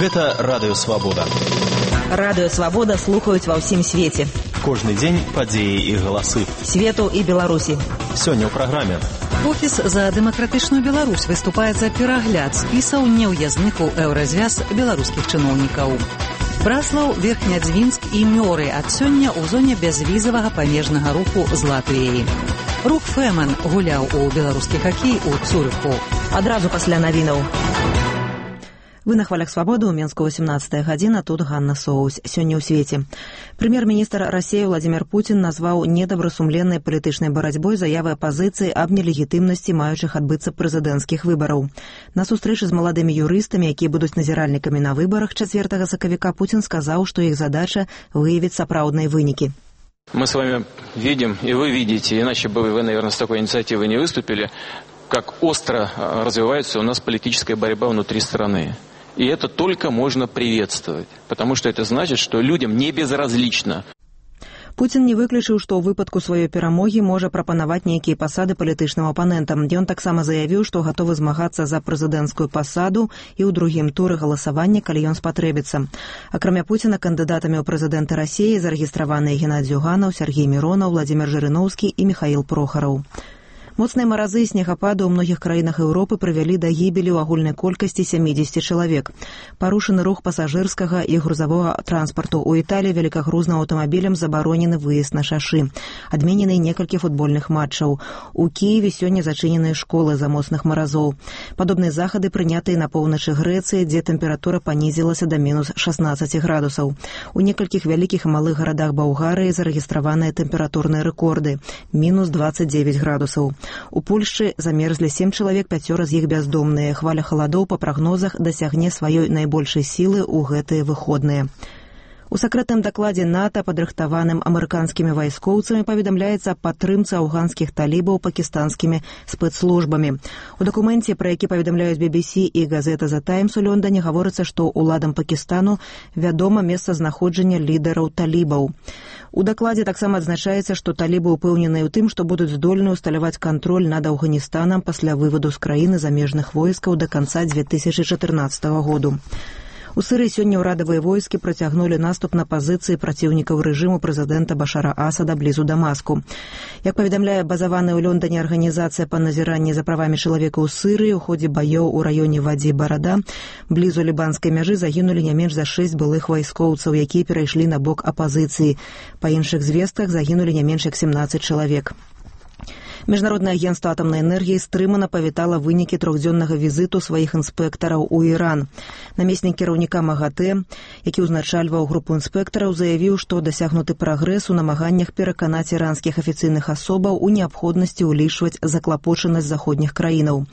Гэта Радыё Свабода. Радыё Свабода слухаюць ва ўсім свеце. Кожны дзень падзеі і галасы. Свету і Беларусі. Сёння ў праграме. Офіс за дэмакратычную Беларусь выступае за перагляд спісаў неўязных у еўразвяз беларускіх чыноўнікаў. Браслаў, Верхнядзвінск і Мёры ад сёння ў зоне бязвізавага памежнага руху з Латвіяй. Рух Фэмэн гуляў у беларускі хакей у Цюрыху. Адразу пасля навінаў. Вы на хвалях Свабоды, у Менску 18 гадзіна, тут Ганна Соусь. Сёння ў свеце. Прэм'ер-міністр Расіі Владзімір Пуцін назваў недобрасумленнай палітычнай барацьбой заявы апазіцыі аб нелегітымнасці маючых адбыцца прэзідэнцкіх выбараў. На сустрэчы з маладымі юрыстамі, якія будуць назіральнікамі на выбарах 4 сакавіка, Пуцін сказаў, што іх задача выявіць сапраўдныя вынікі. Мы с вами видим, и вы видите, иначе бы вы, наверное, с такой инициативой не выступили, как остро развивается у нас политическая борьба внутри страны. И это только можно приветствовать, потому что это значит, что людям не безразлично. Пуцін не выключыў, што ў выпадку сваёй перамогі можа прапанаваць нейкія пасады палітычным апанентам. Ён таксама заявіў, што гатовы змагацца за прэзідэнцкую пасаду і ў другім туры галасавання, калі ён спатрэбіцца. Акрамя Пуціна, кандыдатамі ў прэзідэнты Расіі зарэгістраваныя Геннадзь Зюганаў, Сергей Миронов, Владзімір Жырыноўскі і Міхаіл Прохараў. Моцныя маразы і снегапады ў многіх краінах Еўропы прывялі да гібелі ў агульнай колькасці 70 чалавек. Парушаны рух пасажырскага і грузавога транспарту. У Італіі велікагрузным аўтамабілям забаронены выезд на шашы. Адменены некалькі футбольных матчаў. У Кіеве сёння зачыненыя школы з-за моцных маразоў. Падобныя захады прынятыя на поўначы Грэцыі, дзе тэмпература панізілася да мінус 16 градусаў. У некалькіх вялікіх і малых гарадах Балгарыі зарэгістраваныя тэмпературныя рэкорды – мінус 29 градусаў. У Польшчы замерзлі 7 чалавек, 5 з іх бяздомныя. Хваля халадоў па прагнозах дасягне сваёй найбольшай сілы ў гэтыя выходныя. У сакрэтным дакладзе НАТО, падрыхтаваным амерыканскімі вайскоўцамі, паведамляецца аб падтрымцы афганскіх талібаў пакістанскімі спецслужбамі. У дакуменце, пра які паведамляюць BBC і газета The Times у Лондоне, гаворыцца, што ўладам Пакістану вядома месцазнаходжанне лідараў талібаў. У дакладзе таксама адзначаецца, што талібы ўпэўненыя ў тым, што будуць здольны ўсталяваць кантроль над Афганістанам пасля вываду з краіны замежных войскаў да канца 2014 году. У Сырыі сёння ўрадавыя войскі працягнулі наступ на пазіцыі праціўнікаў рэжыму прэзідэнта Башара Асада блізу Дамаску. Як паведамляе базаваная ў Лондоне арганізацыя па назіранні за правамі чалавека ў Сырыі, у ходзе баёў у раёне Вадзі-Барада блізу лібанскай мяжы загінулі не менш за 6 былых вайскоўцаў, якія перайшлі на бок апазіцыі. Па іншых звестках загінулі не менш як 17 чалавек. Міжнароднае агенцтва атамнай энергіі стрымана павітала вынікі трохдзённага візіту сваіх інспектараў у Іран. Намеснік кіраўніка МАГАТЭ, які ўзначальваў групу інспектараў, заявіў, што дасягнуты прагрэс у намаганнях пераканаць іранскіх афіцыйных асобаў у неабходнасці ўлічваць заклапочанасць заходніх краінаў.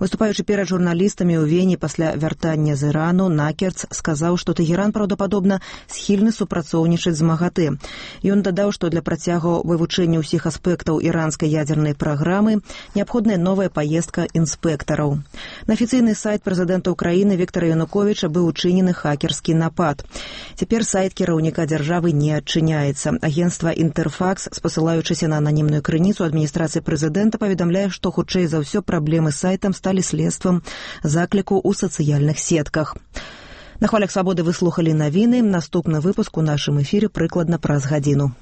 Выступаючы перад журналістамі ў Вені пасля вяртання з Ірану, Накерц сказаў, што Тэгеран праўдападобна схільны супрацоўнічаць з МАГАТЭ. Ён дадаў, што для працягу вывучэння ўсіх аспектаў іранскай ядзернай праграмы неабходная новая паездка інспектараў. На афіцыйны сайт прэзідэнта ўкраіны Віктара Януковіча быў учынены хакерскі напад. Цяпер сайт кіраўніка дзяржавы не адчыняецца. Агенцтва Інтэрфакс, спасылаючыся на ананімную крыніцу адміністрацыі прэзідэнта, паведамляе, што хутчэй за ўсё праблемы з сайтам сталі следствам закліку ў сацыяльных сетках. На хвалях Свабоды вы слухалі навіны. Наступны выпуск у нашым эфіры прыкладна праз гадзіну.